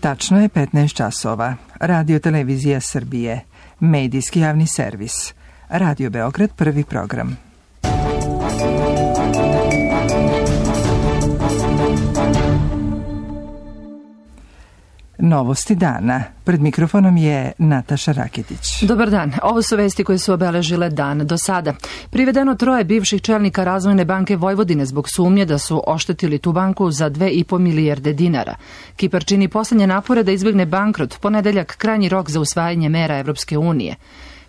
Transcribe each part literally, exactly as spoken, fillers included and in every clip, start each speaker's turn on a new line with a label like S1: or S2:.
S1: Tačno je petnaest časova. Radio Televizija Srbije. Medijski javni servis. Radio Beograd, prvi program. Novosti dana. Pred mikrofonom je Nataša Raketić.
S2: Dobar dan. Ovo su vesti koje su obeležile dan do sada. Privedeno troje bivših čelnika Razvojne banke Vojvodine zbog sumnje da su oštetili tu banku za dve i po milijarde dinara. Kipar čini poslednje napore da izbegne bankrot, ponedeljak krajnji rok za usvajanje mera Evropske unije.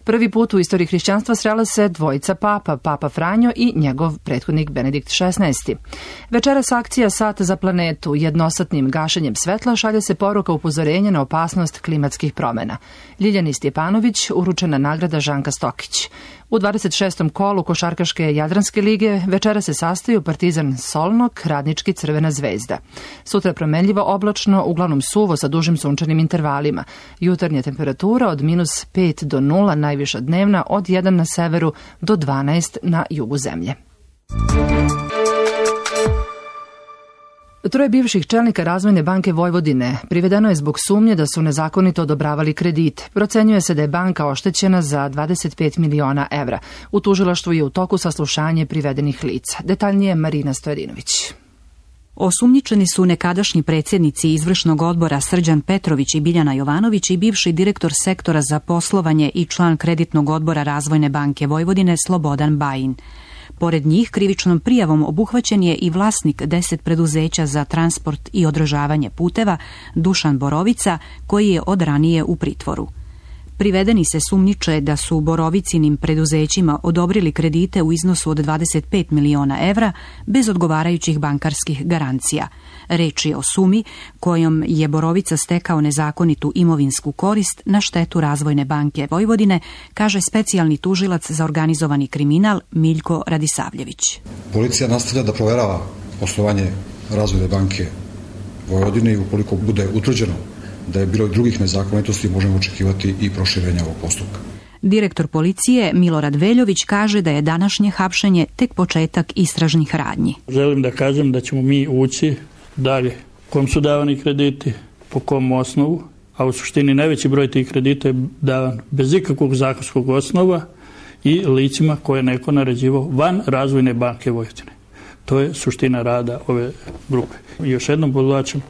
S2: Prvi put u istoriji hrišćanstva srela se dvojica papa, Papa Franjo i njegov prethodnik Benedikt šesnaesti. Večeras akcija Sat za planetu. Jednosatnim gašenjem svetla šalje se poruka upozorenja na opasnost klimatskih promena. Ljiljani Stjepanović, uručena nagrada Žanka Stokić. U dvadeset šestom kolu košarkaške Jadranske lige večera se sastaju Partizan Solnok, Radnički Crvena zvezda. Sutra promenljivo oblačno, uglavnom suvo sa dužim sunčanim intervalima. Jutarnja temperatura od minus pet do nula, najviša dnevna od jedan na severu do dvanaest na jugu zemlje. Troje bivših čelnika Razvojne banke Vojvodine privedeno je zbog sumnje da su nezakonito odobravali kredite. Procenjuje se da je banka oštećena za dvadeset pet miliona evra. U tužilaštvu je u toku saslušanje privedenih lica. Detaljnije Marina Stojadinović.
S3: Osumnjičeni su nekadašnji predsjednici izvršnog odbora Srđan Petrović i Biljana Jovanović i bivši direktor sektora za poslovanje i član kreditnog odbora Razvojne banke Vojvodine Slobodan Bajin. Pored njih krivičnom prijavom obuhvaćen je i vlasnik deset preduzeća za transport i održavanje puteva Dušan Borovica, koji je od ranije u pritvoru. Privedeni se sumnjiče da su Borovicinim preduzećima odobrili kredite u iznosu od dvadeset pet miliona evra bez odgovarajućih bankarskih garancija. Reč je o sumi kojom je Borovica stekao nezakonitu imovinsku korist na štetu Razvojne banke Vojvodine, kaže specijalni tužilac za organizovani kriminal Miljko Radisavljević.
S4: Policija nastavlja da proverava poslovanje Razvojne banke Vojvodine i ukoliko bude utvrđeno da je bilo i drugih nezakonitosti, možemo očekivati i proširenje ovog postupka.
S3: Direktor policije Milorad Veljović kaže da je današnje hapšenje tek početak istražnih radnji.
S5: Želim da kažem da ćemo mi ući dalje. Kom su davani krediti, po kom osnovu, a u suštini najveći broj tih kredita je davan bez ikakvog zakonskog osnova i licima koje je neko naređivao van Razvojne banke Vojvodine. To je suština rada ove grupe. I još jednom podvlačim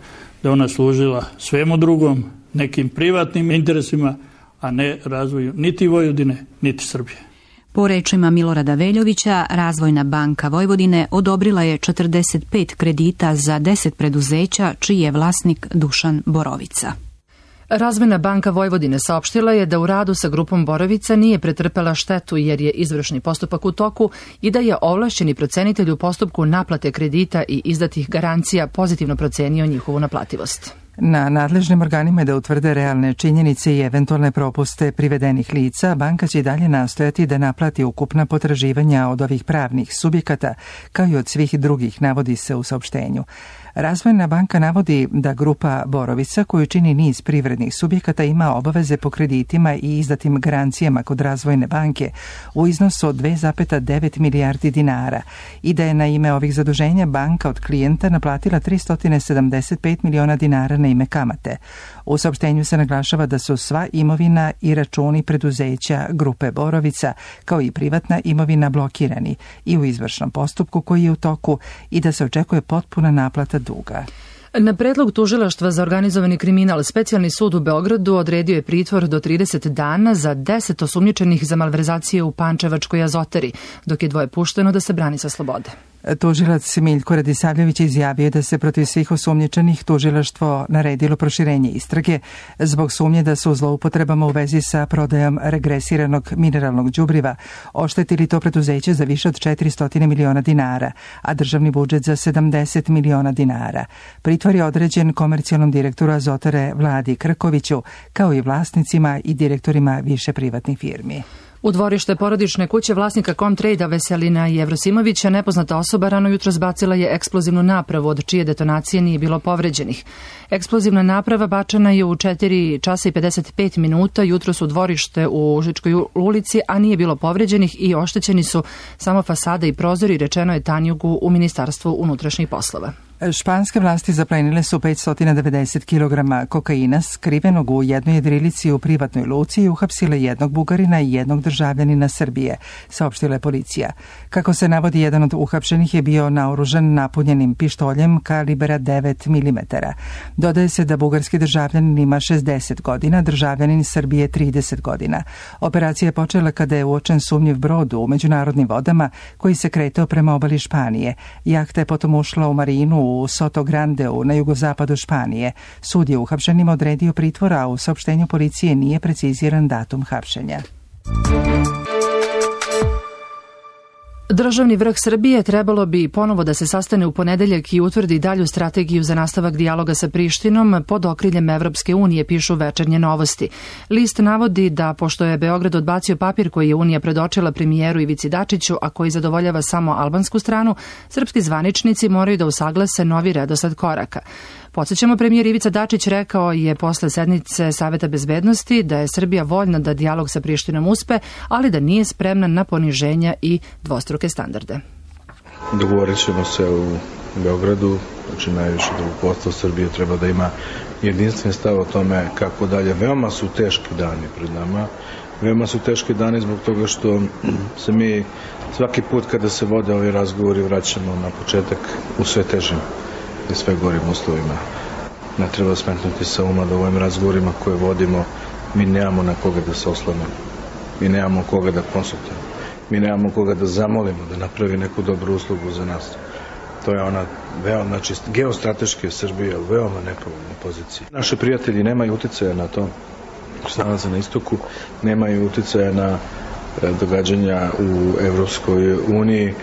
S5: da ona služila svemu drugom, nekim privatnim interesima, a ne razvoju niti Vojvodine, niti Srbije.
S3: Po rečima Milorada Veljovića, Razvojna banka Vojvodine odobrila je četrdeset pet kredita za deset preduzeća, čiji je vlasnik Dušan Borovica.
S2: Razvojna banka Vojvodine saopštila je da u radu sa grupom Borovica nije pretrpela štetu jer je izvršni postupak u toku i da je ovlašćeni procenitelj u postupku naplate kredita i izdatih garancija pozitivno procenio njihovu naplativost.
S1: Na nadležnim organima je da utvrde realne činjenice i eventualne propuste privedenih lica. Banka će i dalje nastojati da naplati ukupna potraživanja od ovih pravnih subjekata, kao i od svih drugih, navodi se u saopštenju. Razvojna banka navodi da grupa Borovica, koju čini niz privrednih subjekata, ima obaveze po kreditima i izdatim garancijama kod Razvojne banke u iznosu od dve zarez devet milijardi dinara i da je na ime ovih zaduženja banka od klijenta naplatila tristo sedamdeset pet miliona dinara na ime kamate. U saopštenju se naglašava da su sva imovina i računi preduzeća grupe Borovica, kao i privatna imovina, blokirani i u izvršnom postupku koji je u toku i da se očekuje potpuna naplata duga.
S2: Na predlog tužilaštva za organizovani kriminal, specijalni sud u Beogradu odredio je pritvor do trideset dana za deset osumnjičenih za malverzacije u Pančevačkoj azotari, dok je dvoje pušteno da se brani sa slobode.
S1: Tužilac Miljko Radisavljević izjavio da se protiv svih osumnjičenih tužilaštvo naredilo proširenje istrage zbog sumnje da su zloupotrebama u vezi sa prodajom regresiranog mineralnog đubriva oštetili to preduzeće za više od četiristo miliona dinara, a državni budžet za sedamdeset miliona dinara. Pritvor je određen komercijalnom direktoru Azotare Vladi Krkoviću, kao i vlasnicima i direktorima više privatnih firmi.
S2: U dvorište porodične kuće vlasnika Comtrade-a Veselina Jevrosimovića nepoznata osoba rano jutro zbacila je eksplozivnu napravu od čije detonacije nije bilo povređenih. Eksplozivna naprava bačena je u četiri časa i pedeset pet minuta jutros u dvorište u Užičkoj ulici, a nije bilo povređenih i oštećeni su samo fasada i prozori, rečeno je Tanjugu u Ministarstvu unutrašnjih poslova.
S1: Španske vlasti zaplenile su petsto devedeset kilograma kokaina skrivenog u jednoj jedrilici u privatnoj luci i uhapsile jednog Bugarina i jednog državljanina Srbije, saopštila je policija. Kako se navodi, jedan od uhapšenih je bio naoružan napunjenim pištoljem kalibra devet milimetara. Dodaje se da bugarski državljanin ima šezdeset godina, državljanin Srbije trideset godina. Operacija je počela kada je uočen sumnjiv brod u međunarodnim vodama koji se kretao prema obali Španije. Jahta je potom ušla u marinu u Soto Grandeu na jugozapadu Španije. Sud je uhapšenima odredio pritvor, a u saopštenju policije nije preciziran datum hapšenja.
S2: Državni vrh Srbije trebalo bi ponovo da se sastane u ponedeljak i utvrdi dalju strategiju za nastavak dijaloga sa Prištinom pod okriljem Evropske unije, pišu Večernje novosti. List navodi da, pošto je Beograd odbacio papir koji je Unija predočila premijeru Ivici Dačiću, a koji zadovoljava samo albansku stranu, srpski zvaničnici moraju da usaglase novi redosled koraka. Podsjećamo, premijer Ivica Dačić rekao je posle sednice Saveta bezbednosti da je Srbija voljna da dijalog sa Prištinom uspe, ali da nije spremna na poniženja i dvostruke standarde.
S6: Dogovorit ćemo se u Beogradu, znači najviše rukovodstvo Srbije treba da ima jedinstven stav o tome kako dalje. Veoma su teški dani pred nama, veoma su teški dani zbog toga što se mi svaki put kada se vode ovi razgovori vraćamo na početak u sve težim i sve gorim uslovima. Ne treba smetnuti sa uma da u ovim razgovorima koje vodimo mi nemamo na koga da se oslonimo. Mi nemamo koga da konsultujemo. Mi nemamo koga da zamolimo da napravi neku dobru uslugu za nas. To je ona veoma, znači geostrateški Srbija u veoma nepovoljnoj poziciji. Naši prijatelji nemaju uticaja na to što se nalaze na istoku, nemaju uticaja na događanja u Evropskoj uniji.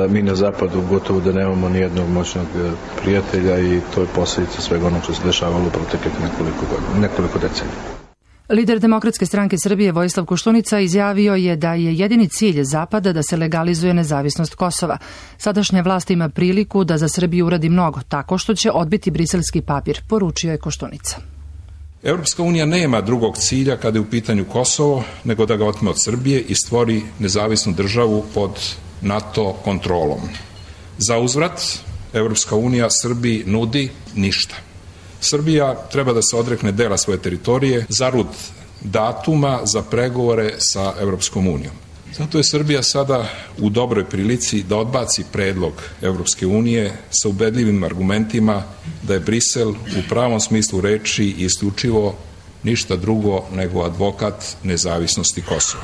S6: Mi na zapadu gotovo da nemamo ni jednog moćnog prijatelja i to je posljedica svega onog što se dešavalo u proteklih nekoliko godina, nekoliko decenija.
S2: Lider Demokratske stranke Srbije Vojislav Koštunica izjavio je da je jedini cilj Zapada da se legalizuje nezavisnost Kosova. Sadašnja vlast ima priliku da za Srbiju uradi mnogo, tako što će odbiti briselski papir, poručio je Koštunica.
S7: Evropska unija nema drugog cilja kada je u pitanju Kosovo, nego da ga otme od Srbije i stvori nezavisnu državu pod NATO kontrolom. Za uzvrat, Evropska unija Srbiji nudi ništa. Srbija treba da se odrekne dela svoje teritorije zarad datuma za pregovore sa Evropskom unijom. Zato je Srbija sada u dobroj prilici da odbaci predlog Evropske unije sa ubedljivim argumentima da je Brisel u pravom smislu reči i isključivo ništa drugo nego advokat nezavisnosti Kosova.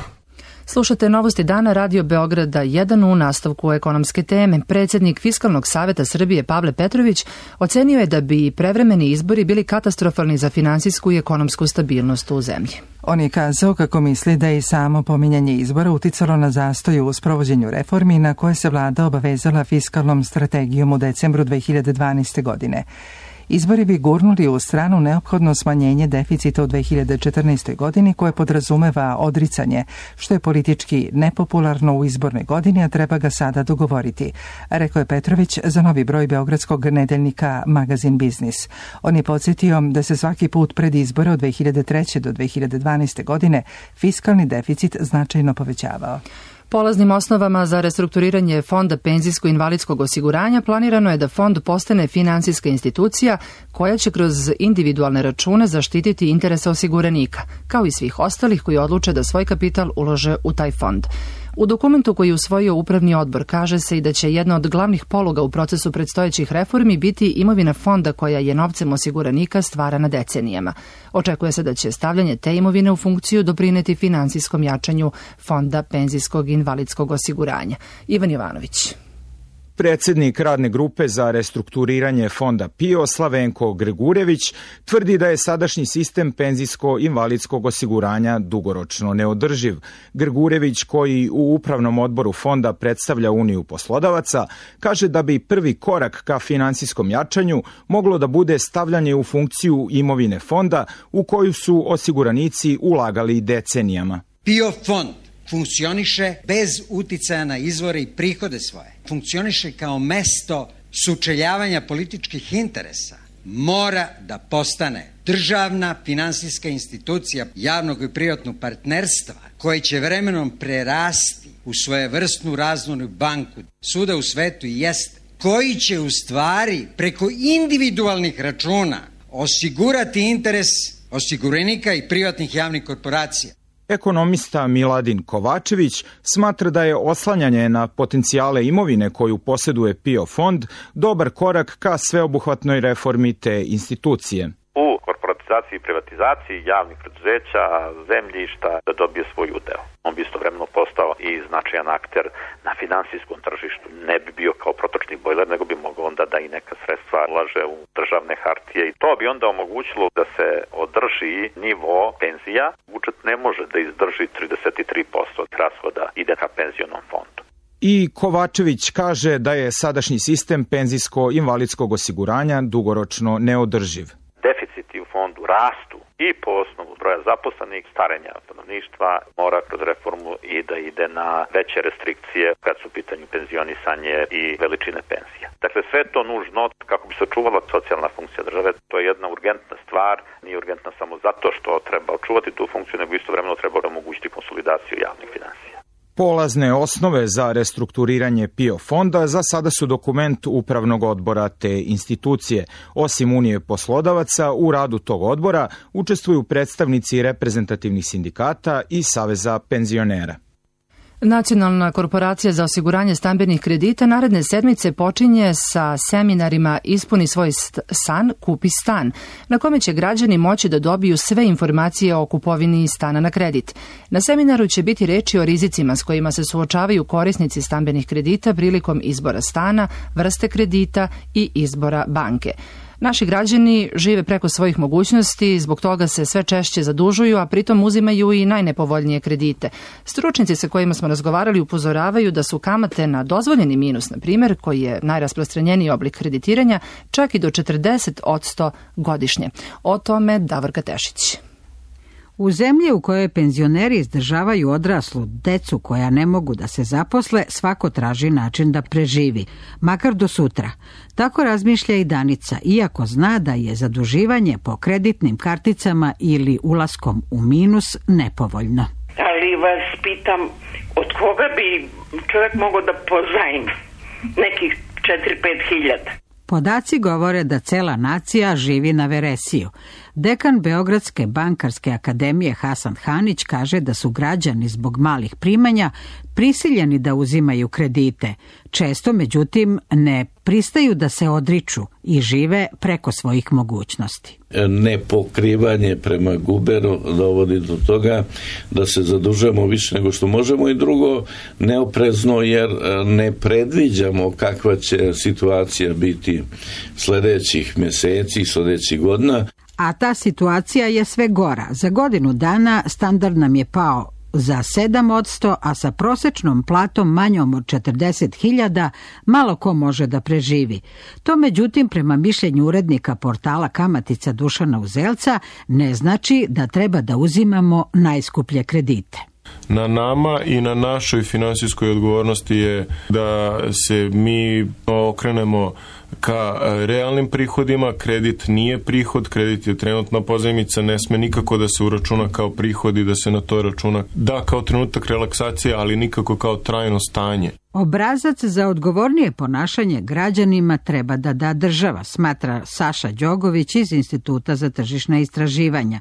S2: Slušate Novosti dana Radio Beograda jedan u nastavku ekonomske teme. Predsjednik Fiskalnog saveta Srbije Pavle Petrović ocenio je da bi prevremeni izbori bili katastrofalni za finansijsku i ekonomsku stabilnost u zemlji.
S1: On je kazao kako misli da je i samo pominjanje izbora uticalo na zastoj u sprovođenju reformi na koje se vlada obavezala fiskalnom strategijom u decembru dve hiljade dvanaeste. godine. Izbori bi gurnuli u stranu neophodno smanjenje deficita u dve hiljade četrnaestoj. godini koje podrazumeva odricanje, što je politički nepopularno u izbornoj godini, a treba ga sada dogovoriti, rekao je Petrović za novi broj beogradskog nedeljnika Magazin Biznis. On je podsjetio da se svaki put pred izbore od dve hiljade treće. do dve hiljade dvanaeste. godine fiskalni deficit značajno povećavao.
S2: Polaznim osnovama za restrukturiranje Fonda penzijsko-invalidskog osiguranja planirano je da fond postane finansijska institucija koja će kroz individualne račune zaštititi interese osiguranika, kao i svih ostalih koji odluče da svoj kapital ulože u taj fond. U dokumentu koji je usvojio Upravni odbor kaže se i da će jedna od glavnih poluga u procesu predstojećih reformi biti imovina fonda koja je novcem osiguranika stvarana decenijama. Očekuje se da će stavljanje te imovine u funkciju doprineti finansijskom jačanju Fonda penzijskog i invalidskog osiguranja. Ivan Jovanović.
S8: Predsjednik radne grupe za restrukturiranje fonda PIO Slavenko Gregurević tvrdi da je sadašnji sistem penzijsko-invalidskog osiguranja dugoročno neodrživ. Gregurević, koji u upravnom odboru fonda predstavlja Uniju poslodavaca, kaže da bi prvi korak ka finansijskom jačanju moglo da bude stavljanje u funkciju imovine fonda u koju su osiguranici ulagali decenijama.
S9: PIO fond funkcioniše bez uticaja na izvore i prihode svoje. Funkcioniše kao mesto sučeljavanja političkih interesa. Mora da postane državna finansijska institucija javnog i privatnog partnerstva koje će vremenom prerasti u svojevrsnu razvojnu banku. Svuda u svetu jest koji će u stvari preko individualnih računa osigurati interes osiguranika i privatnih javnih korporacija.
S8: Ekonomista Miladin Kovačević smatra da je oslanjanje na potencijale imovine koju posjeduje PIO fond dobar korak ka sveobuhvatnoj reformi te institucije.
S10: U korporatizaciji i privatizaciji javnih preduzeća, zemljišta, da dobije svoj udeo. On bi istovremeno postao i značajan akter na finansijskom tržištu. Ne bi bio kao protočni bojler, nego bi mogao onda da i neka sredstva ulaže u državne hartije. I to bi onda omogućilo da se održi nivo penzija. Budžet ne može da izdrži trideset tri posto rashoda ide ka penzionom fondu.
S8: I Kovačević kaže da je sadašnji sistem penzijsko-invalidskog osiguranja dugoročno neodrživ.
S10: Deficiti u fondu rastu i po osnovu broja zaposlenih, starenja stanovništva, mora kroz reformu i da ide na veće restrikcije kad su u pitanju penzionisanje i veličine penzija. Dakle, sve to nužno kako bi se očuvala socijalna funkcija države. To je jedna urgentna stvar, nije urgentna samo zato što treba očuvati tu funkciju, nego istovremeno treba omogućiti konsolidaciju javnih finansija.
S8: Polazne osnove za restrukturiranje PIO fonda za sada su dokument upravnog odbora te institucije. Osim Unije poslodavaca, u radu tog odbora učestvuju predstavnici reprezentativnih sindikata i Saveza penzionera.
S2: Nacionalna korporacija za osiguranje stambenih kredita naredne sedmice počinje sa seminarima Ispuni svoj san, kupi stan, na kome će građani moći da dobiju sve informacije o kupovini stana na kredit. Na seminaru će biti reči o rizicima s kojima se suočavaju korisnici stambenih kredita prilikom izbora stana, vrste kredita i izbora banke. Naši građani žive preko svojih mogućnosti, zbog toga se sve češće zadužuju, a pritom uzimaju i najnepovoljnije kredite. Stručnjaci sa kojima smo razgovarali upozoravaju da su kamate na dozvoljeni minus, na primjer, koji je najrasprostranjeniji oblik kreditiranja, čak i do četrdeset posto godišnje. O tome Davorka Tešić.
S11: U zemlji u kojoj penzioneri izdržavaju odraslu decu koja ne mogu da se zaposle, svako traži način da preživi, makar do sutra. Tako razmišlja i Danica, iako zna da je zaduživanje po kreditnim karticama ili ulaskom u minus nepovoljno.
S12: Ali vas pitam, od koga bi čovjek mogao da pozajmi nekih četiri do pet hiljada?
S11: Podaci govore da cela nacija živi na veresiju. Dekan Beogradske bankarske akademije Hasan Hanić kaže da su građani zbog malih primanja prisiljeni da uzimaju kredite. Često, međutim, ne pristaju da se odriču i žive preko svojih mogućnosti.
S13: Nepokrivanje prema guberu dovodi do toga da se zadužujemo više nego što možemo i drugo neoprezno jer ne predviđamo kakva će situacija biti sljedećih mjeseci, sljedećih godina.
S11: A ta situacija je sve gora. Za godinu dana standard nam je pao za sedam posto, a sa prosečnom platom manjom od četrdeset hiljada malo ko može da preživi. To, međutim, prema mišljenju urednika portala Kamatica Dušana Uzelca, ne znači da treba da uzimamo najskuplje kredite.
S14: Na nama i na našoj finansijskoj odgovornosti je da se mi okrenemo ka realnim prihodima. Kredit nije prihod, kredit je trenutna pozajmica, ne sme nikako da se uračuna kao prihod i da se na to računa da kao trenutak relaksacije, ali nikako kao trajno stanje.
S11: Obrazac za odgovornije ponašanje građanima treba da da država, smatra Saša Đogović iz Instituta za tržišna istraživanja.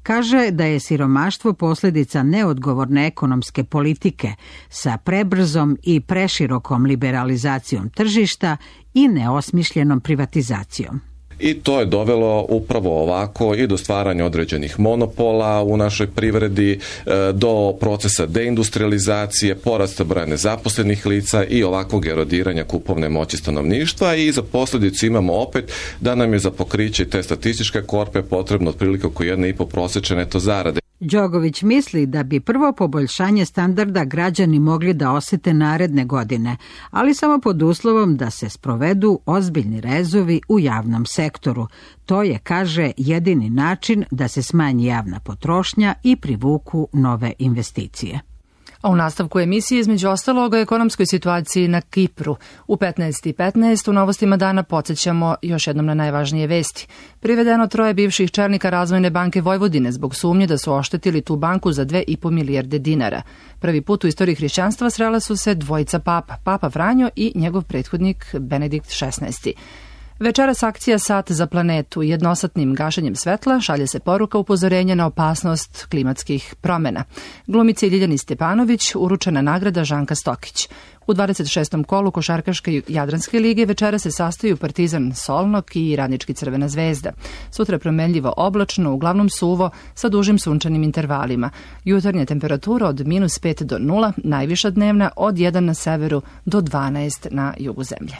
S11: Kaže da je siromaštvo posljedica neodgovorne ekonomske politike sa prebrzom i preširokom liberalizacijom tržišta i neosmišljenom privatizacijom.
S15: I to je dovelo upravo ovako i do stvaranja određenih monopola u našoj privredi, do procesa deindustrializacije, porasta broja nezaposlenih lica i ovakvog erodiranja kupovne moći stanovništva i za posljedicu imamo opet da nam je za pokriće te statističke korpe potrebno otprilike oko jedne i po prosječne neto zarade.
S11: Đogović misli da bi prvo poboljšanje standarda građani mogli da osjete naredne godine, ali samo pod uslovom da se sprovedu ozbiljni rezovi u javnom sektoru. To je, kaže, jedini način da se smanji javna potrošnja i privuku nove investicije.
S2: A u nastavku emisije između ostalog o ekonomskoj situaciji na Kipru. U petnaest i petnaest u novostima dana podsjećamo još jednom na najvažnije vesti. Privedeno troje bivših čelnika Razvojne banke Vojvodine zbog sumnje da su oštetili tu banku za dve i po milijarde dinara. Prvi put u istoriji hrišćanstva srela su se dvojica papa, Papa Franjo i njegov prethodnik Benedikt šesnaesti. Večeras akcija Sat za planetu. Jednosatnim gašenjem svetla šalje se poruka upozorenja na opasnost klimatskih promjena. Glumici Ljiljani Stepanović uručena nagrada Žanka Stokić. U dvadeset šestom kolu košarkaške Jadranske lige večera se sastaju Partizan Solnok i Radnički Crvena zvezda. Sutra promenljivo oblačno, uglavnom suvo, sa dužim sunčanim intervalima. Jutarnja temperatura od minus pet do nula, najviša dnevna od jedan na severu do dvanaest na jugu zemlje.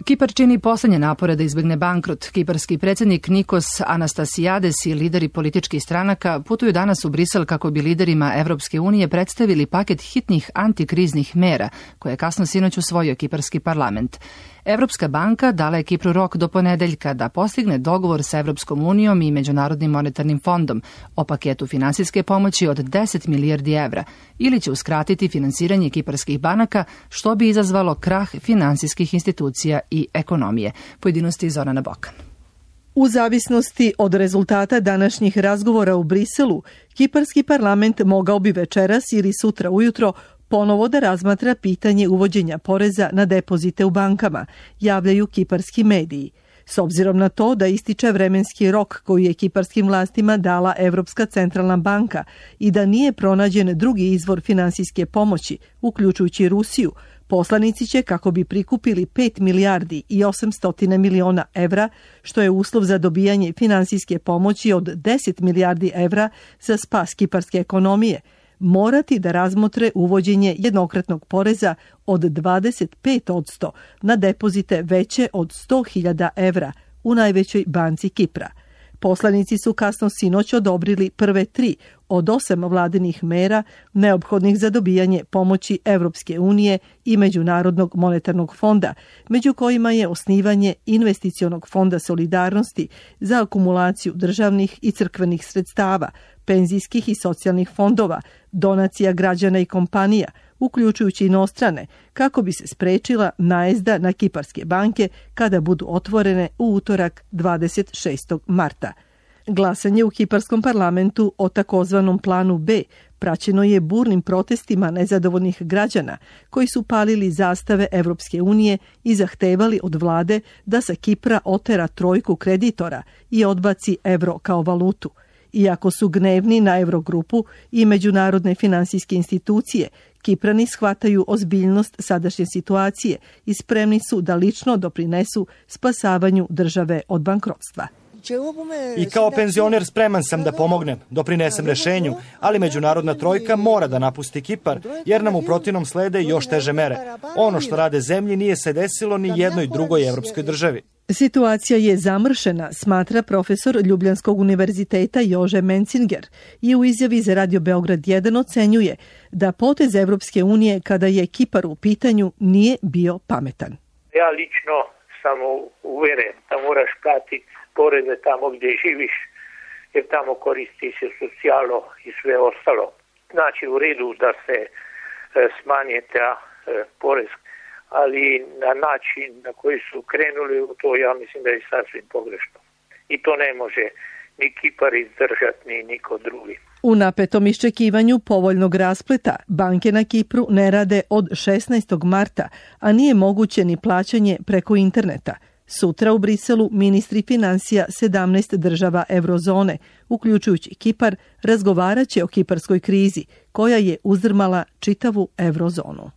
S2: Kipar čini poslednje napore da izbegne bankrot. Kiparski predsjednik Nikos Anastasiades i lideri političkih stranaka putuju danas u Brisel kako bi liderima Evropske unije predstavili paket hitnih antikriznih mera koje je kasno sinoć usvojio Kiparski parlament. Evropska banka dala je Kipru rok do ponedeljka da postigne dogovor sa Evropskom unijom i Međunarodnim monetarnim fondom o paketu finansijske pomoći od deset milijardi evra ili će uskratiti finansiranje kiparskih banaka što bi izazvalo krah finansijskih institucija i ekonomije. Pojedinosti Zorana Bokan.
S16: U zavisnosti od rezultata današnjih razgovora u Briselu, Kiparski parlament mogao bi večeras ili sutra ujutro ponovo da razmatra pitanje uvođenja poreza na depozite u bankama, javljaju kiparski mediji. S obzirom na to da ističe vremenski rok koji je kiparskim vlastima dala Evropska centralna banka i da nije pronađen drugi izvor finansijske pomoći, uključujući Rusiju, poslanici će, kako bi prikupili pet milijardi i osamsto miliona evra, što je uslov za dobijanje finansijske pomoći od deset milijardi evra za spas kiparske ekonomije, morati da razmotre uvođenje jednokratnog poreza od dvadeset pet posto na depozite veće od sto hiljada evra u najvećoj banci Kipra. Poslanici su kasno sinoć odobrili prve tri od osam vladinih mera neophodnih za dobijanje pomoći Evropske unije i Međunarodnog monetarnog fonda, među kojima je osnivanje investicionog fonda solidarnosti za akumulaciju državnih i crkvenih sredstava, penzijskih i socijalnih fondova, donacija građana i kompanija, uključujući inostrane, kako bi se sprečila najezda na kiparske banke kada budu otvorene u utorak dvadeset šestog marta. Glasanje u kiparskom parlamentu o takozvanom planu B praćeno je burnim protestima nezadovoljnih građana koji su palili zastave Evropske unije i zahtevali od vlade da sa Kipra otera trojku kreditora i odbaci evro kao valutu. Iako su gnevni na Evrogrupu i međunarodne finansijske institucije, Kiprani shvataju ozbiljnost sadašnje situacije i spremni su da lično doprinesu spasavanju države od bankrotstva.
S17: I kao penzioner spreman sam da pomognem, doprinesem rešenju, ali međunarodna trojka mora da napusti Kipar, jer nam u protivnom slede još teže mere. Ono što rade zemlji nije se desilo ni jednoj drugoj evropskoj državi.
S16: Situacija je zamršena, smatra profesor Ljubljanskog univerziteta Jože Mencinger i u izjavi za Radio Beograd jedan ocenjuje da potez Evropske unije kada je Kipar u pitanju nije bio pametan.
S18: Ja lično sam uveren da moraš platiti poreze tamo gdje živiš, jer tamo koristi se socijalo i sve ostalo. Znači u redu da se e, smanje ta e, porez, ali na način na koji su krenuli u to, ja mislim da je sasvim pogrešno. I to ne može ni Kipar izdržati, ni niko drugi.
S16: U napetom iščekivanju povoljnog raspleta, banke na Kipru ne rade od šesnaestog marta, a nije moguće ni plaćanje preko interneta. Sutra u Briselu ministri finansija sedamnaest država eurozone, uključujući Kipar, razgovarat će o kiparskoj krizi, koja je uzdrmala čitavu eurozonu.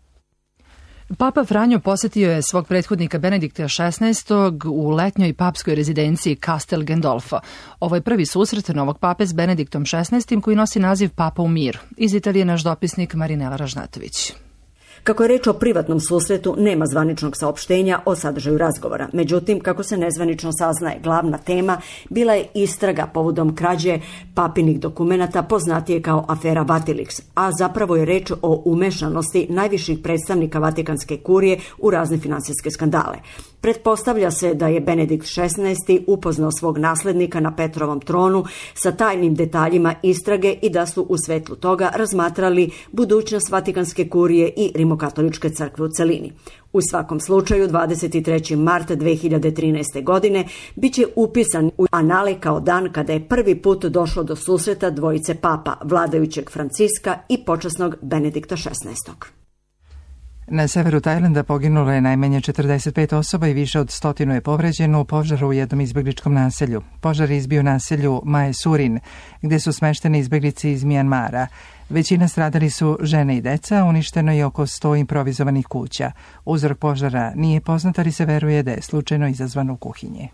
S2: Papa Franjo posjetio je svog prethodnika Benedikta šesnaestog u letnjoj papskoj rezidenciji Castel Gandolfo. Ovo je prvi susret novog pape s Benediktom šesnaestim koji nosi naziv Papa u miru. Iz Italije naš dopisnik Marinela Ražnatović.
S19: Kako je reč o privatnom susretu, nema zvaničnog saopštenja o sadržaju razgovora. Međutim, kako se nezvanično saznaje, glavna tema bila je istraga povodom krađe papinih dokumenata poznatije kao afera Vatilix, a zapravo je reč o umešanosti najviših predstavnika Vatikanske kurije u razne finansijske skandale. Pretpostavlja se da je Benedikt šesnaesti upoznao svog naslednika na Petrovom tronu sa tajnim detaljima istrage i da su u svetlu toga razmatrali budućnost Vatikanske kurije i Rimokatoličke crkve u celini. U svakom slučaju, dvadeset trećeg marta dve hiljade trinaeste. godine biće upisan u anale kao dan kada je prvi put došlo do susreta dvojice papa, vladajućeg Franciska i počasnog Benedikta šesnaestog.
S1: Na severu Tajlanda poginulo je najmanje četrdeset pet osoba i više od stotinu je povređeno u požaru u jednom izbegličkom naselju. Požar je izbio naselju Mae Surin, gde su smešteni izbeglici iz Mijanmara. Većina stradali su žene i deca, uništeno je oko sto improvizovanih kuća. Uzrok požara nije poznat, ali se veruje da je slučajno izazvan u kuhinji.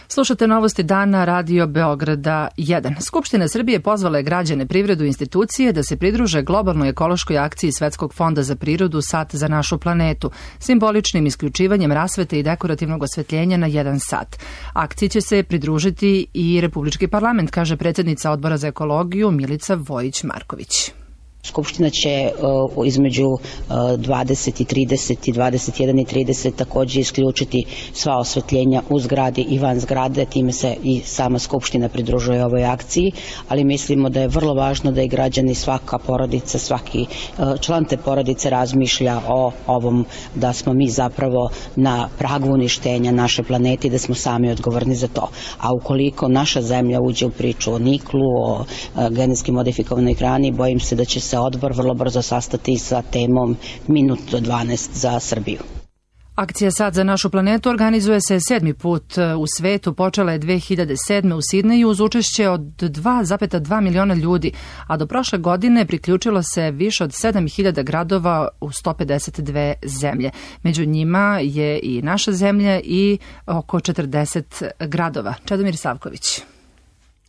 S2: Slušate novosti dana Radio Beograda jedan. Skupština Srbije pozvala je građane, privredu i institucije da se pridruže globalnoj ekološkoj akciji Svetskog fonda za prirodu Sat za našu planetu, simboličnim isključivanjem rasvete i dekorativnog osvetljenja na jedan sat. Akciji će se pridružiti i Republički parlament, kaže predsjednica Odbora za ekologiju Milica Vojić-Marković.
S20: Skupština će uh, između uh, dvadeset i trideset i dvadeset jedan i trideset također isključiti sva osvetljenja u zgradi i van zgrade, time se i sama Skupština pridružuje ovoj akciji, ali mislimo da je vrlo važno da i građani, svaka porodica, svaki uh, član te porodice razmišlja o ovom, da smo mi zapravo na pragu uništenja naše planete i da smo sami odgovorni za to. A ukoliko naša zemlja uđe u priču o niklu, o uh, genetski modifikovanoj hrani, bojim se da će se odbor vrlo brzo sastati sa temom minut do dvanaest za Srbiju.
S2: Akcija Sat za našu planetu organizuje se sedmi put u svetu, počela je dve hiljade sedme. u Sidneju uz učešće od dva zarez dva miliona ljudi, a do prošle godine priključilo se više od sedam hiljada gradova u sto pedeset dve zemlje. Među njima je i naša zemlja i oko četrdeset gradova. Čedomir Savković.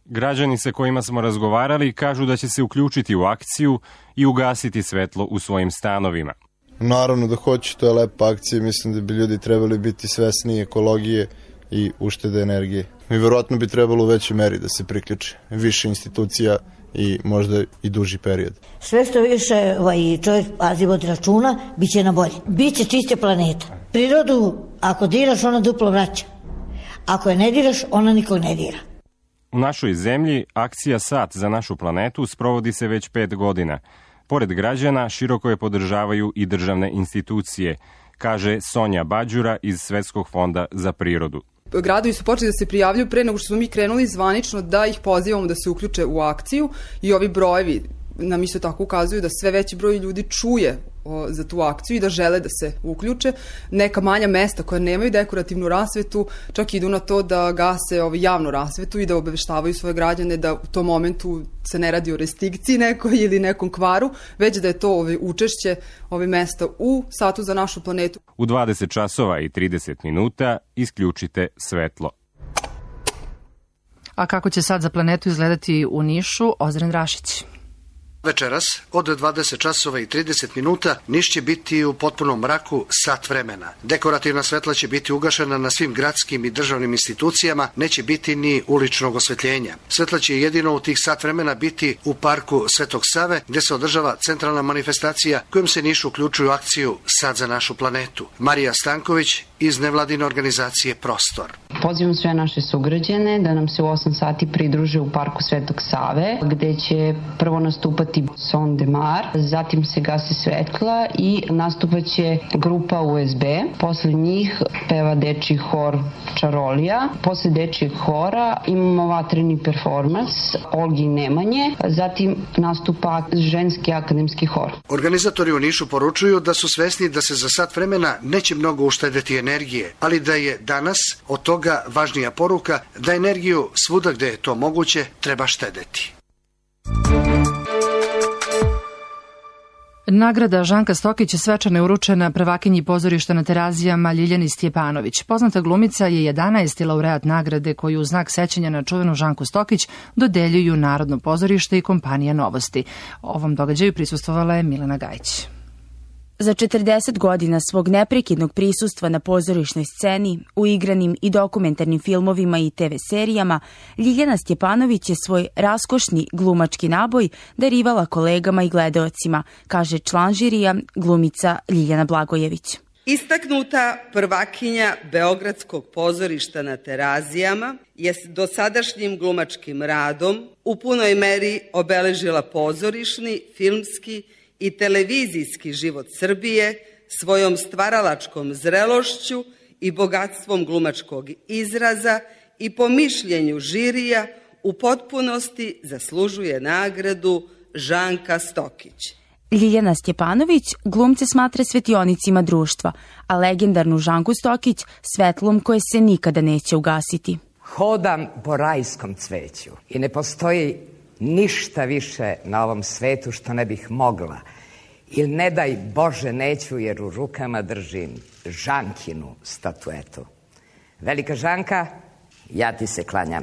S21: Građani sa kojima smo razgovarali kažu da će se uključiti u akciju i ugasiti svetlo u svojim stanovima.
S22: Naravno da hoću, to je lepa akcija, mislim da bi ljudi trebali biti svesni ekologije i uštede energije. I verovatno bi trebalo u većoj meri da se priključe više institucija i možda i duži period.
S23: Sve što više ovaj, čovjek pazi vodi računa, bit će na bolje. Biće čiste planeta. Prirodu, ako diraš, ona duplo vraća. Ako je ne diraš, ona nikog ne dira.
S21: U našoj zemlji akcija Sat za našu planetu sprovodi se već pet godina. Pored građana, široko je podržavaju i državne institucije, kaže Sonja Bađura iz Svetskog fonda za prirodu.
S24: Gradovi su počeli da se prijavljuju pre nego što smo mi krenuli zvanično da ih pozivamo da se uključe u akciju i ovi brojevi nam isto tako ukazuju da sve veći broj ljudi čuje o, za tu akciju i da žele da se uključe. Neka manja mesta koja nemaju dekorativnu rasvetu čak idu na to da gase ovi, javnu rasvetu i da obaveštavaju svoje građane da u tom momentu se ne radi o restrikciji nekoj ili nekom kvaru, već da je to ovi, učešće ove mesta u Satu za našu planetu.
S21: U dvadeset časova i trideset minuta isključite svetlo.
S2: A kako će Sat za planetu izgledati u Nišu? Ozren Rašić.
S25: Večeras, od dvadeset časova i trideset minuta, Niš će biti u potpunom mraku sat vremena. Dekorativna svetla će biti ugašena na svim gradskim i državnim institucijama, neće biti ni uličnog osvetljenja. Svetla će jedino u tih sat vremena biti u parku Svetog Save, gde se održava centralna manifestacija kojom se Niš uključuju u akciju Sat za našu planetu. Marija Stanković iz nevladine organizacije Prostor.
S26: Pozivam sve naše sugrađane da nam se u osam sati pridruže u parku Svetog Save, gde će prvo nastupati Son de Mar, zatim se gasi svetla i nastupaće grupa U S B. Posle njih peva dečiji hor Čarolija. Posle dečijeg hora imamo vatreni performans Olgi i Nemanje, zatim nastupa ženski akademski hor.
S25: Organizatori u Nišu poručuju da su svesni da se za sat vremena neće mnogo uštedeti energije, ali da je danas od toga važnija poruka da energiju svuda gde je to moguće treba štedeti.
S2: Nagrada Žanka Stokić svečano je uručena prvakinji pozorišta na Terazijama Ljiljani Stjepanović. Poznata glumica je jedanaesti laureat nagrade koju u znak sećanja na čuvenu Žanku Stokić dodeljuju Narodno pozorište i kompanija Novosti. Ovom događaju prisustvovala je Milena Gajić.
S27: Za četrdeset godina svog neprekidnog prisustva na pozorišnoj sceni, u igranim i dokumentarnim filmovima i te ve serijama, Ljiljana Stjepanović je svoj raskošni glumački naboj darivala kolegama i gledaocima, kaže član žirija, glumica Ljiljana Blagojević.
S3: Istaknuta prvakinja Beogradskog pozorišta na Terazijama je dosadašnjim glumačkim radom u punoj meri obeležila pozorišni, filmski i televizijski život Srbije svojom stvaralačkom zrelošću i bogatstvom glumačkog izraza i po mišljenju žirija u potpunosti zaslužuje nagradu Žanka Stokić.
S27: Ljiljana Stjepanović glumce smatra svetionicima društva, a legendarnu Žanku Stokić svetlom koje se nikada neće ugasiti.
S4: Hodam po rajskom cveću i ne postoji ništa više na ovom svetu što ne bih mogla. Ili ne daj Bože neću jer u rukama držim Žankinu statuetu. Velika Žanka, ja ti se klanjam.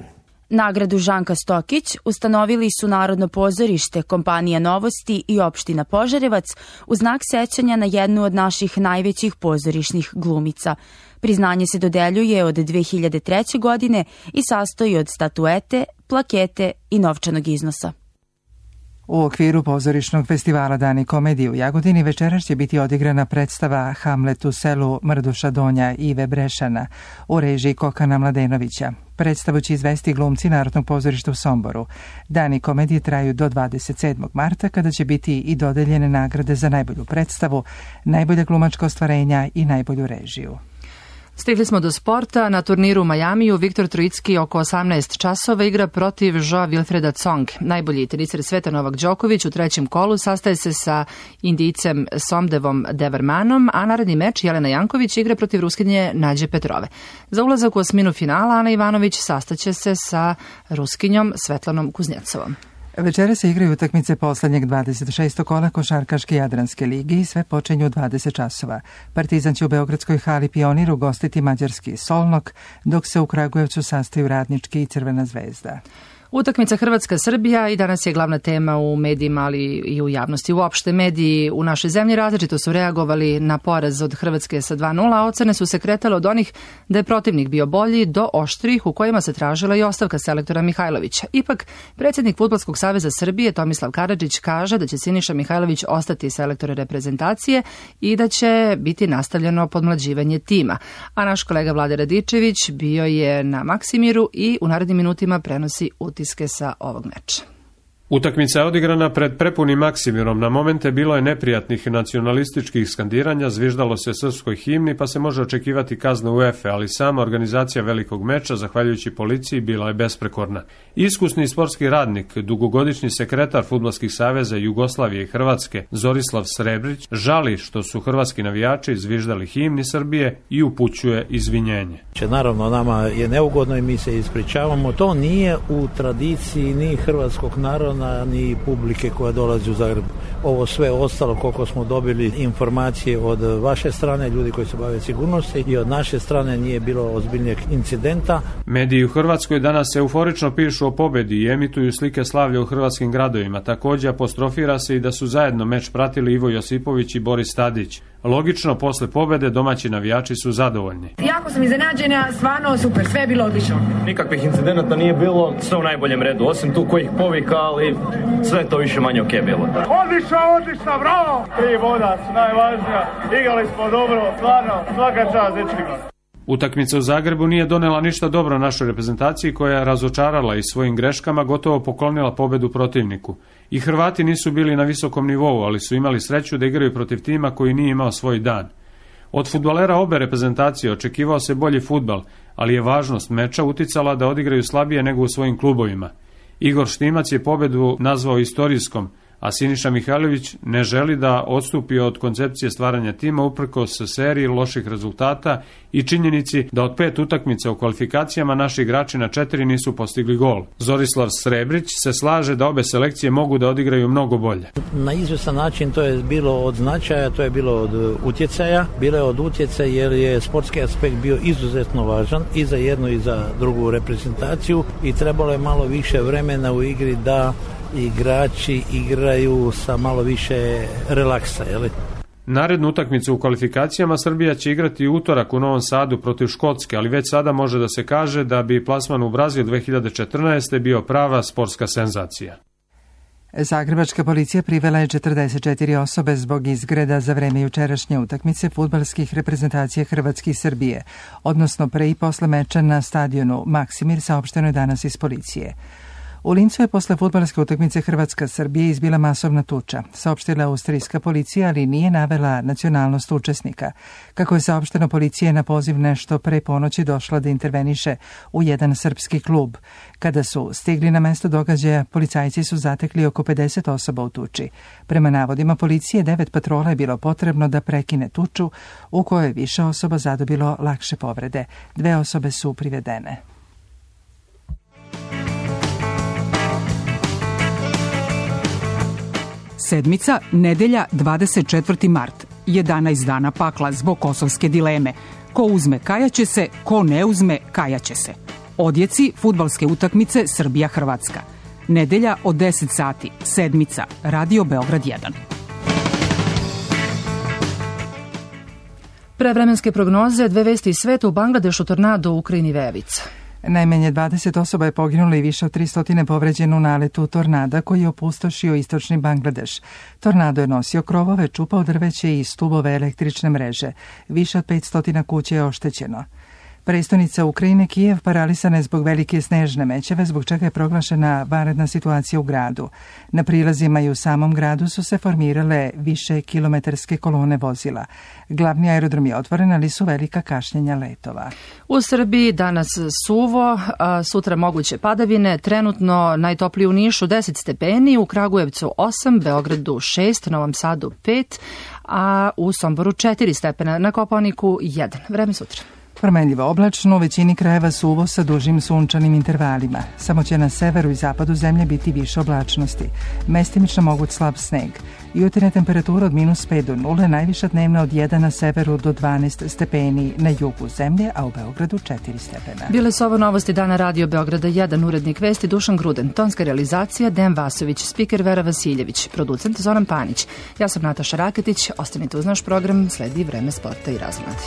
S27: Nagradu Žanka Stokić ustanovili su Narodno pozorište, kompanija Novosti i opština Požarevac u znak sećanja na jednu od naših najvećih pozorišnih glumica. Priznanje se dodeljuje od dve hiljade treće. godine i sastoji od statuete, plakete i novčanog iznosa.
S1: U okviru pozorišnog festivala Dani komedije u Jagodini večeras će biti odigrana predstava Hamlet u selu Mrduša Donja Ive Brešana u režiji Kokana Mladenovića. Predstavu će izvesti glumci Narodnog pozorišta u Somboru. Dani komedije traju do dvadeset sedmog marta kada će biti i dodeljene nagrade za najbolju predstavu, najbolje glumačko ostvarenja i najbolju režiju.
S2: Stigli smo do sporta. Na turniru u Majamiju Viktor Trojicki oko osamnaest časova igra protiv Joa Wilfreda Tsong. Najbolji teniser sveta Novak Đoković u trećem kolu sastaje se sa Indijcem Somdevom Devermanom, a naredni meč Jelena Janković igra protiv Ruskinje Nađe Petrove. Za ulazak u osminu finala Ana Ivanović sastaće se sa Ruskinjom Svetlanom Kuznjecovom.
S1: Večera se igraju utakmice poslednjeg dvadeset šestog kola Košarkaške Jadranske ligi i sve počinju u dvadeset časova. Partizan će u Beogradskoj hali Pionir ugostiti mađarski Solnok, dok se u Kragujevcu sastaju Radnički i Crvena zvezda.
S2: Utakmica Hrvatska-Srbija i danas je glavna tema u medijima, ali i u javnosti. Uopšte mediji u našoj zemlji različito su reagovali na poraz od Hrvatske sa dva nula, a ocene su se kretale od onih da je protivnik bio bolji do oštrih u kojima se tražila i ostavka selektora Mihajlovića. Ipak, predsjednik Fudbalskog saveza Srbije Tomislav Karadžić kaže da će Siniša Mihajlović ostati selektor reprezentacije i da će biti nastavljeno podmlađivanje tima. A naš kolega Vlade Radičević bio je na Maksimiru i u narednim minutima prenosi utiske sa ovog meča.
S5: Utakmica je odigrana pred prepunim Maksimirom. Na momente bilo je neprijatnih nacionalističkih skandiranja, zviždalo se srpskoj himni, pa se može očekivati kazna UEFA, ali sama organizacija velikog meča, zahvaljujući policiji, bila je besprekorna. Iskusni sportski radnik, dugogodišnji sekretar Fudbalskih saveza Jugoslavije i Hrvatske, Zorislav Srebrić, žali što su hrvatski navijači zviždali himni Srbije i upućuje izvinjenje.
S6: Naravno, nama je neugodno i mi se ispričavamo. To nije u tradiciji ni hrvatskog naroda, ni publike koja dolazi u Zagreb. Ovo sve ostalo, koliko smo dobili informacije od vaše strane, ljudi koji se bave sigurnosti, i od naše strane nije bilo ozbiljnijeg incidenta.
S5: Mediji u Hrvatskoj danas euforično pišu o pobedi i emituju slike slavlja u hrvatskim gradovima. Također apostrofira se i da su zajedno meč pratili Ivo Josipović i Boris Tadić. Logično, posle pobede domaći navijači su zadovoljni.
S7: Jako sam iznenađena, stvarno super, sve je bilo odlično.
S9: Nikakvih incidenata nije bilo, sve u najboljem redu, osim tu kojih povika, ali sve to više manje okej bilo.
S10: Odlično, odlično, bravo! Tri boda su najvažnija, igrali smo dobro, stvarno, svaka čast dečkima.
S5: Utakmica u Zagrebu nije donela ništa dobro našoj reprezentaciji, koja je razočarala i svojim greškama gotovo poklonila pobedu protivniku. I Hrvati nisu bili na visokom nivou, ali su imali sreću da igraju protiv tima koji nije imao svoj dan. Od fudbalera obe reprezentacije očekivao se bolji fudbal, ali je važnost meča uticala da odigraju slabije nego u svojim klubovima. Igor Štimac je pobedu nazvao istorijskom, a Siniša Mihajlović ne želi da odstupi od koncepcije stvaranja tima uprkos seriji loših rezultata i činjenici da od pet utakmica u kvalifikacijama naši igrači na četiri nisu postigli gol. Zorislav Srebrić se slaže da obe selekcije mogu da odigraju mnogo bolje.
S6: Na izvestan način to je bilo od značaja, to je bilo od utjecaja. Bilo je od utjecaja jer je sportski aspekt bio izuzetno važan i za jednu i za drugu reprezentaciju i trebalo je malo više vremena u igri da igrači igraju sa malo više relaksa, jeli?
S5: Narednu utakmicu u kvalifikacijama Srbija će igrati u utorak u Novom Sadu protiv Škotske, ali već sada može da se kaže da bi plasman u Brazil dve hiljade četrnaeste. bio prava sportska senzacija.
S1: Zagrebačka policija privela je četrdeset četiri osobe zbog izgreda za vreme jučerašnje utakmice fudbalskih reprezentacija Hrvatske i Srbije, odnosno pre i posle meča na stadionu Maksimir, saopšteno je danas iz policije. U Lincu je posle fudbalske utakmice Hrvatska-Srbije izbila masovna tuča, saopštila austrijska policija, ali nije navela nacionalnost učesnika. Kako je saopšteno, policija je na poziv nešto pre ponoći došla da interveniše u jedan srpski klub. Kada su stigli na mesto događaja, policajci su zatekli oko pedeset osoba u tuči. Prema navodima policije, devet patrola je bilo potrebno da prekine tuču, u kojoj je više osoba zadobilo lakše povrede. Dve osobe su privedene.
S8: Sedmica, nedelja, dvadeset četvrti mart. jedanaest dana pakla zbog kosovske dileme. Ko uzme, kajaće se, ko ne uzme, kajaće se. Odjeci fudbalske utakmice Srbija-Hrvatska. Nedelja od deset sati. Sedmica, Radio Beograd jedan.
S2: Prevremenske prognoze, dve vesti iz sveta, u Bangladešu tornado, u Ukrajini vejavica.
S1: Najmanje dvadeset osoba je poginulo i više od tristo povređeno u naletu tornada koji je opustošio istočni Bangladeš. Tornado je nosio krovove, čupao drveće i stubove električne mreže. Više od petsto kuća je oštećeno. Prestonica Ukrajine, Kijev, paralisana je zbog velike snežne mećave, zbog čega je proglašena vanredna situacija u gradu. Na prilazima i u samom gradu su se formirale više kilometarske kolone vozila. Glavni aerodrom je otvoren, ali su velika kašnjenja letova.
S2: U Srbiji danas suvo, a sutra moguće padavine, trenutno najtopliji u Nišu deset stepeni, u Kragujevcu osam, Beogradu šest, Novom Sadu pet, a u Somboru četiri stepena, na Kopaoniku jedan. Vreme sutra.
S1: Promenljivo oblačno, u većini krajeva suvo sa dužim sunčanim intervalima. Samo će na severu i zapadu zemlje biti više oblačnosti. Mestimično moguć slab sneg. Jutarnja temperatura od minus pet do nule, najviša dnevna od jedan na severu do dvanaest stepeni na jugu zemlje, a u Beogradu četiri stepena.
S2: Bile su ovo novosti dana Radio Beograda jedan, urednik vesti Dušan Gruden, tonska realizacija Dejan Vasović, spiker Vera Vasiljević, producent Zoran Panić. Ja sam Nataša Raketić, ostanite uz naš program, sledi Vreme sporta i razmladi.